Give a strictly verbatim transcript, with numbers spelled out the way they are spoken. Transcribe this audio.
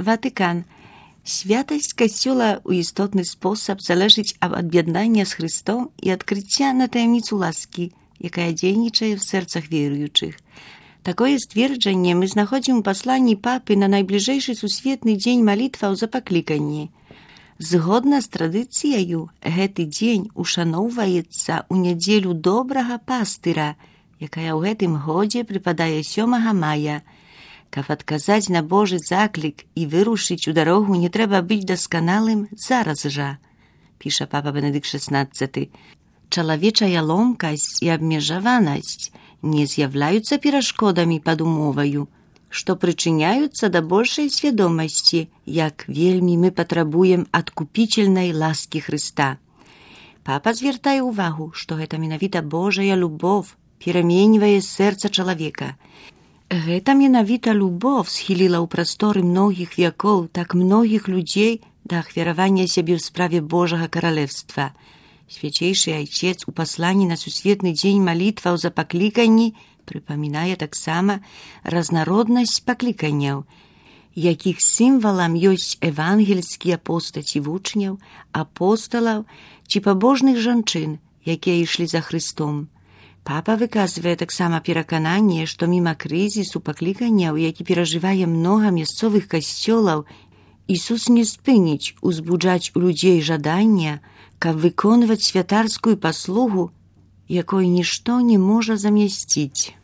Ватыкан. Святасць Касцёла ў істотны спосаб залежыць ад аб'яднання з Христом і адкрыцця на таямніцу ласкі, якая дзейнічае ў сэрцах веруючых. Такое сцверджанне мы знаходзім у пасланні папы на найбліжэйшы сусветны дзень малітваў за пакліканні. Згодна з традыцыяю, гэты дзень ушаноўваецца ў нядзелю добрага пастыра, якая ў гэтым годзе прыпадае сёмага мая. Каб адказаць на Божы заклік і вырушыць у дарогу, не трэба быць дасканалым зараз жа, піша папа Бенедыкт шаснаццаты. Чалавечая ломкасць і абмежаванасць не з'яўляюцца перашкодамі пад умоваю, што прычыняюцца да большай свядомасці, як вельмі мы патрабуем адкупічельнай ласкі Хрыста. Папа звяртае ўвагу, што гэта менавіта Божая любоў пераменьвае сэрца чалавека. Гэта менавіта любоў схіліла ў прасторы многіх вякоў так многіх людзей да ахвяравання сябе ў справе Божага каралевства. Свяцейшы айцец у пасланні на сусветны дзень малітваў за пакліканні прыпамінае таксама разнароднасць пакліканняў, якіх сімвалам ёсць евангельскія постаці вучняў, апосталаў ці пабожных жанчын, якія ішлі за Христом. Папа выказвае таксама перакананне, што міма крызісу пакліканняў, які перажывае многа мясцовых касцёлаў, Ісус не спыніць узбуджаць у людзей жадання, каб выконваць святарскую паслугу, якой нішто не можа замясціць.